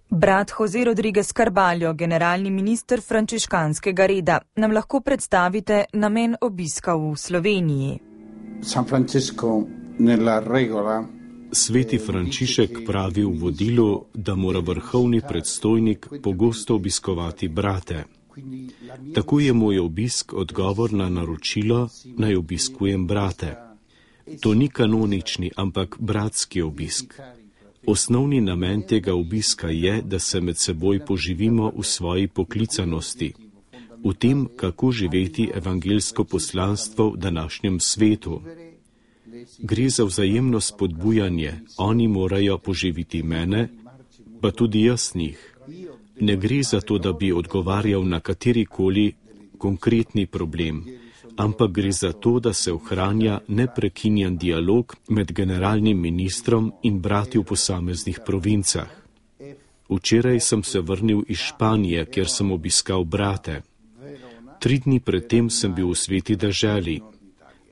Brat Jose Rodriguez Carballo, generalni minister frančiškanskega reda, nam lahko predstavite namen obiska v Sloveniji. Sveti Frančišek pravi v vodilu, da mora vrhovni predstojnik pogosto obiskovati brate. Tako je moj obisk odgovor na naročilo, naj obiskujem brate. To ni kanonični, ampak bratski obisk. Osnovni namen tega obiska je, da se med seboj poživimo v svoji poklicanosti, v tem, kako živeti evangeljsko poslanstvo v današnjem svetu. Gre za vzajemno spodbujanje, oni morajo poživiti mene, pa tudi jaz njih. Ne gre za to, da bi odgovarjal na katerikoli konkretni problem, ampak gre za to, da se ohranja neprekinjen dialog med generalnim ministrom in brati v posameznih provincah. Včeraj sem se vrnil iz Španije, kjer sem obiskal brate. 3 dni predtem sem bil v Sveti deželi.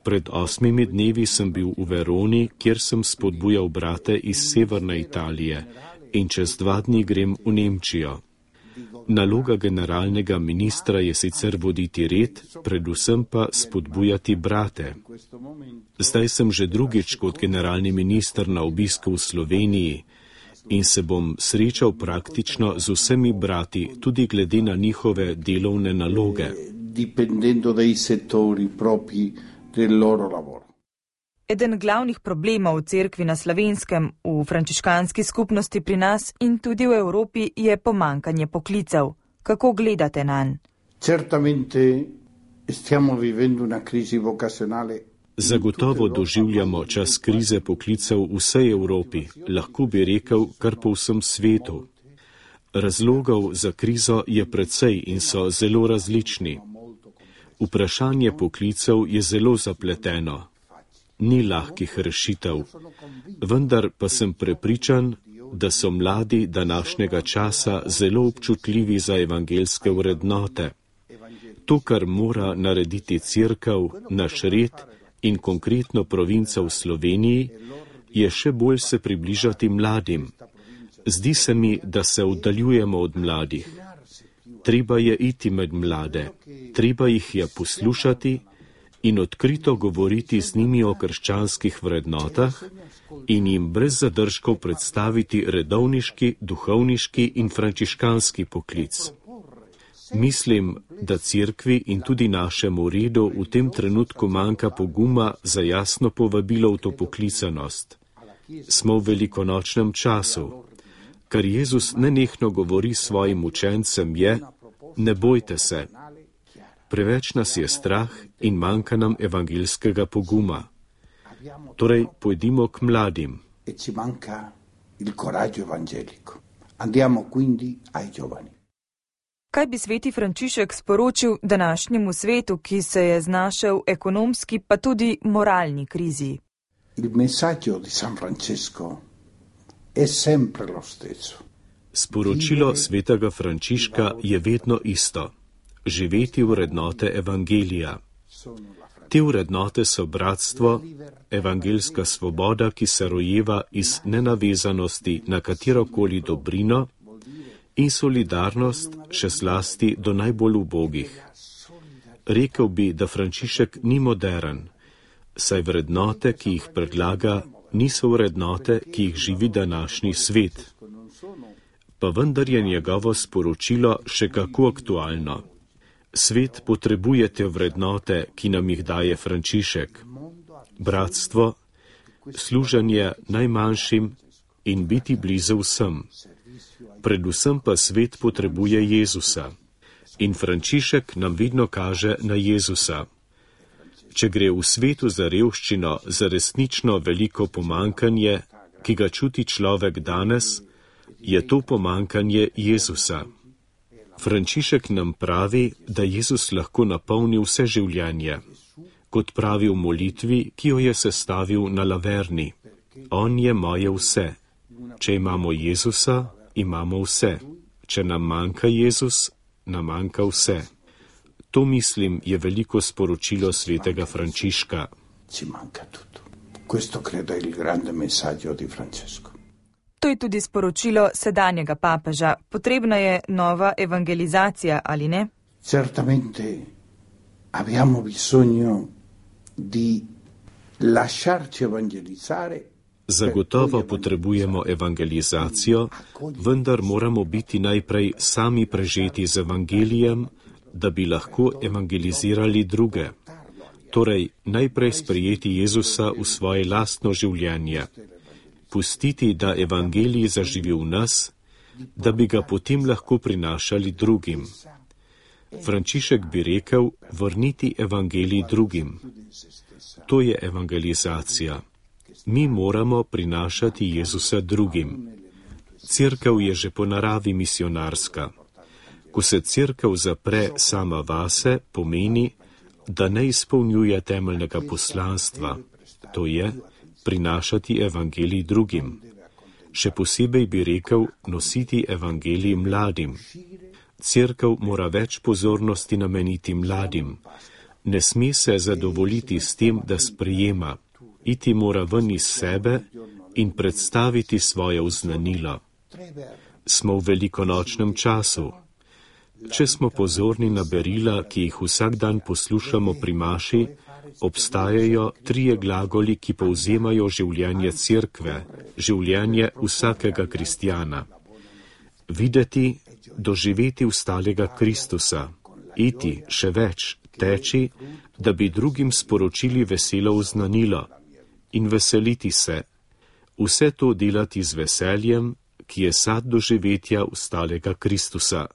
Pred 8 dnevi sem bil v Veroni, kjer sem spodbujal brate iz severne Italije in čez 2 dni grem v Nemčijo. Naloga generalnega ministra je sicer voditi red, predvsem pa spodbujati brate. Zdaj sem že drugič kot generalni minister na obisku v Sloveniji in se bom srečal praktično z vsemi brati, tudi glede na njihove delovne naloge. Eden glavnih problemov v cerkvi na Slovenskem, v frančiškanski skupnosti pri nas in tudi v Evropi je pomankanje poklicev. Kako gledate nanj? Zagotovo doživljamo čas krize poklicev v vsej Evropi, lahko bi rekel kar po vsem svetu. Razlogov za krizo je precej in so zelo različni. Vprašanje poklicev je zelo zapleteno. Ni lahkih rešitev, vendar pa sem prepričan, da so mladi današnjega časa zelo občutljivi za evangeljske vrednote. To, kar mora narediti cerkev, naš red in konkretno provinca v Sloveniji, je še bolj se približati mladim. Zdi se mi, da se oddaljujemo od mladih. Treba je iti med mlade, treba jih je poslušati in odkrito govoriti z njimi o krščanskih vrednotah in jim brez zadržkov predstaviti redovniški, duhovniški in frančiškanski poklic. Mislim, da cerkvi in tudi našemu redu v tem trenutku manjka poguma za jasno povabilo v to poklicanost. Smo v velikonočnem času. Kar Jezus nenehno govori svojim učencem je: ne bojte se. Preveč nas je strah in manjka nam evangeljskega poguma. Torej, pojdimo k mladim. Kaj bi sveti Frančišek sporočil današnjemu svetu, ki se je znašel v ekonomski pa tudi moralni krizi? Sporočilo svetega Frančiška je vedno isto. Živeti vrednote evangelija. Te vrednote so bratstvo, evangeljska svoboda, ki se rojeva iz nenavezanosti na katerokoli dobrino, in solidarnost še zlasti do najbolj ubogih. Rekel bi, da Frančišek ni modern, saj vrednote, ki jih predlaga, niso vrednote, ki jih živi današnji svet. Pa vendar je njegovo sporočilo še kako aktualno. Svet potrebuje te vrednote, ki nam jih daje Frančišek. Bratstvo, služenje najmanjšim in biti blizu vsem. Predvsem pa svet potrebuje Jezusa. In Frančišek nam vedno kaže na Jezusa. Če gre v svetu za revščino, za resnično veliko pomankanje, ki ga čuti človek danes, je to pomankanje Jezusa. Frančišek nam pravi, da Jezus lahko napolni vse življenje, kot pravi v molitvi, ki jo je sestavil na Laverni. On je moje vse. Če imamo Jezusa, imamo vse. Če nam manjka Jezus, nam manjka vse. To, mislim, je veliko sporočilo svetega Frančiška. To je tudi sporočilo sedanjega papeža. Potrebna je nova evangelizacija, ali ne? Certamente abbiamo bisogno di lasciarci evangelizzare. Zagotovo potrebujemo evangelizacijo, vendar moramo biti najprej sami prežeti z evangelijem, da bi lahko evangelizirali druge. Torej, najprej sprejeti Jezusa v svoje lastno življenje. Pustiti, da evangelij zaživi v nas, da bi ga potem lahko prinašali drugim. Frančišek bi rekel, vrniti evangelij drugim. To je evangelizacija. Mi moramo prinašati Jezusa drugim. Cerkev je že po naravi misionarska. Ko se cerkev zapre sama vase, pomeni, da ne izpolnjuje temeljnega poslanstva, to je prinašati evangelij drugim. Še posebej bi rekel, nositi evangelij mladim. Cerkev mora več pozornosti nameniti mladim. Ne sme se zadovoljiti s tem, da sprejema. Iti mora ven iz sebe in predstaviti svoje oznanilo. Smo v velikonočnem času. Če smo pozorni na berila, ki jih vsak dan poslušamo pri maši, obstajajo 3 glagoli, ki povzemajo življenje cerkve, življenje vsakega kristjana. Videti, doživeti ustalega Kristusa, iti, še več, teči, da bi drugim sporočili veselo oznanilo in veseliti se. Vse to delati z veseljem, ki je sad doživetja ustalega Kristusa.